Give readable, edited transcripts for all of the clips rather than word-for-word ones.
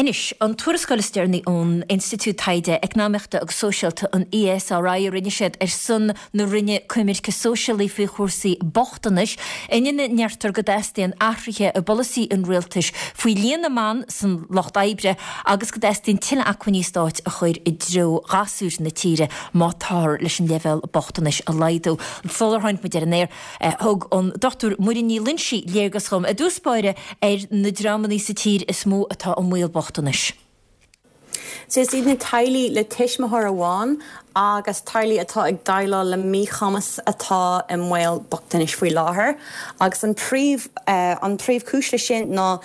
Anois, an tuarascáil is deireanaí ón Institiúid Taighde Eacnamaíochta agus Sóisialta, an ESRI, a rinne siad ar son na Roinne Coimirce Sóisialaí faoi chúrsaí bochtanais, ina ndeirtear go dteastaíonn athruithe i bpolasaí an rialtais faoi líon na mban san lucht oibre agus go dteastaíonn tuilleadh acmhainní stáit a chur i dtreo ghasúir na tíre má táthar leis an leibhéal bochtanais a laghdú. Sular tháinig muid ar an aer, Thug an Dr Muireann Ní Loingsigh léargas dhom i dtús báire ar na dreamanna sa tír is mó atá i mbaol bochtanais. So is iad na teaghlaigh le tuismitheoir amháin agus teaghlaigh atá ag déileáil le míchumas atá i mbaol bochtanais faoi láthair agus an príomh an príomhchúis leis sin ná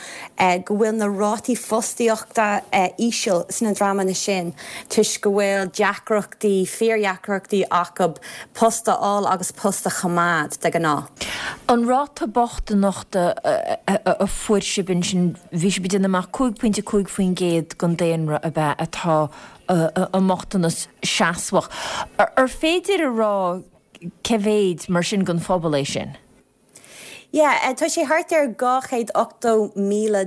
go bhfuil na rátaí fostaíochta íseal sna dreamanna sin toisc go bhfuil deacrachtaí, fíordheacrachtaí acu post a fháil agus post a choimeád, de ghnáth. An ráta bochtaineachta a fuair sibh ansin, bhí sibh ag déanamh amach 5.5% den daonra ab ea atá i mbochtanas seasmhach. Ar féidir a rá cé mhéid mar sin den phobal é sin? Yeah, tá sé thart ar 280,000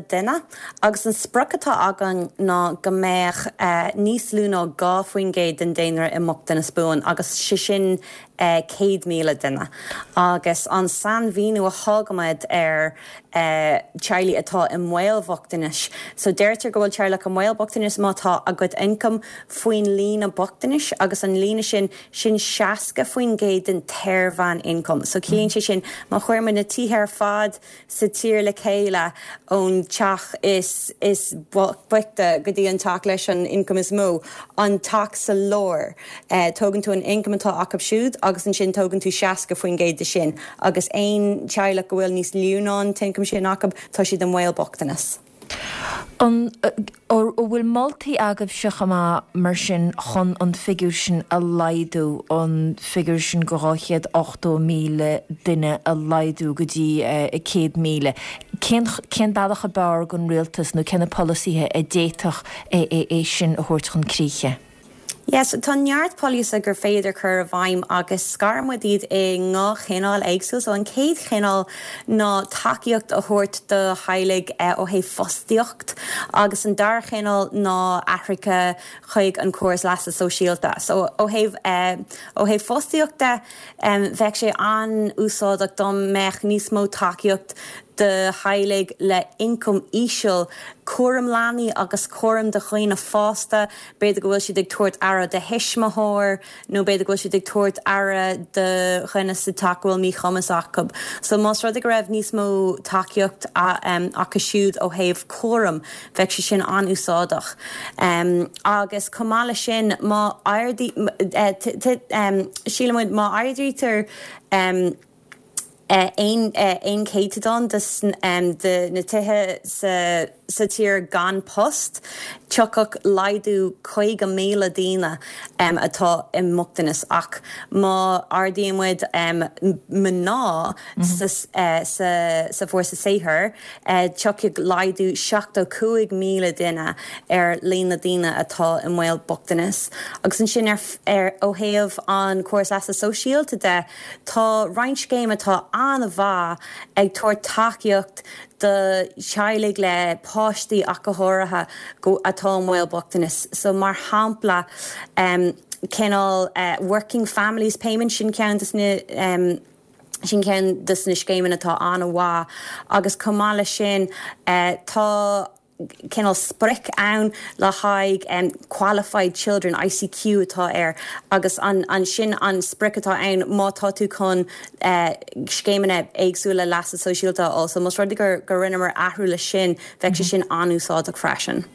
duine agus an sprioc atá againn ná go mbeadh níos lú ná 2% den daonra i mbochtanas buan agus sé sin 100,000 duine. Agus an sainmhíniú a thugaimid ar teaghlaigh atá i mbaol bhochtanais, so deirtear go bhfuil teaghlach i mbaol bochtanais má tá a gcuid ioncaim faoin líne bochtanais agus an líne sin Sin 60% den tsaor-mheán-ioncam. So ciallaíonn sé sin, má chuireann muid na tithe ar fad sa tír le chéile, ón teach is is boichte go dtí an teach leis an ioncam is mó, an teach sa lár, tógann tú an ioncam atá acu siúd agus ansin tógann tú 60% de sin. Agus aon teaghlach go bhfuil níos lú ná an t-ioncam sin acu, tá siad i mbaol bochtanas. An bhfuil moltaí agaibhse chomh maith mar sin chun an figiúr sin a laghdú, an figiúr sin de 280,000 duine a laghdú go dtí 100,000? Cén cén bealach ab fhearr don rialtas nó cé na polasaithe a d'fhéadfadh é sin a thabhairt chun críche? Yes, tá neart polasaithe gur féidir cur i bhfeidhm agus scarann muid iad i ndhá chineál éagsúil. So an chéad chineál ná tacaíocht a thabhairt do theaghlaigh ó thaobh fostaíocht agus an dara chineál ná athruithe chuig an córas leasa sóisialta. So ó thaobh ó thaobh fostaíocht de, bheadh sé an-úsáideach dá mbeadh níos mó tacaíocht do theaghlaigh le ioncam íseal, cúram leanaí agus cúram do dhaoine fásta, b'fhéidir go bhfuil siad ag tabhairt aire do thuismitheoir nó b'fhéidir go bhfuil siad ag tabhairt aire do dhuine sa teach go bhfuil míchumas acu. So más rud é go raibh níos mó tacaíocht acu siúd ó thaobh cúram, bheadh sé sin an-úsáideach. Agus chomh maith leis sin, má síleann muid má ardaítear aon chéatadán de na tithe sa tír gan post, tiocfadh laghdú 50,000 daoine atá i mbochtanas. Ach má ardaíonn muid mná sa bhfórsa saothair, tiocfaidh laghdú 75,000 duine ar líon na daoine atá i mbaol bochtanais. Agus ansin ó thaobh an córas leasa sóisialta de, Tá roinnt scéim atá an-mhaith ag tabhairt tacaíocht do theaghlaigh le páistí ach go háirithe go atá i mbaol bochtanais. So mar shampla cineál Working Families Payment sin ceann de na sin ceann de na scéimeanna atá an-mhaith agus chomh maith leis sin tá cineál sprioc ann le haghaidh qualified children, ICQ atá air, agus an sin an sprioc atá ann má tá tú chun scéimeanna éagsúla leasa sóisialta a fháil. So más rud é gur rinneamar athrú leis sin, bheadh sé sin an-úsáideach freisin.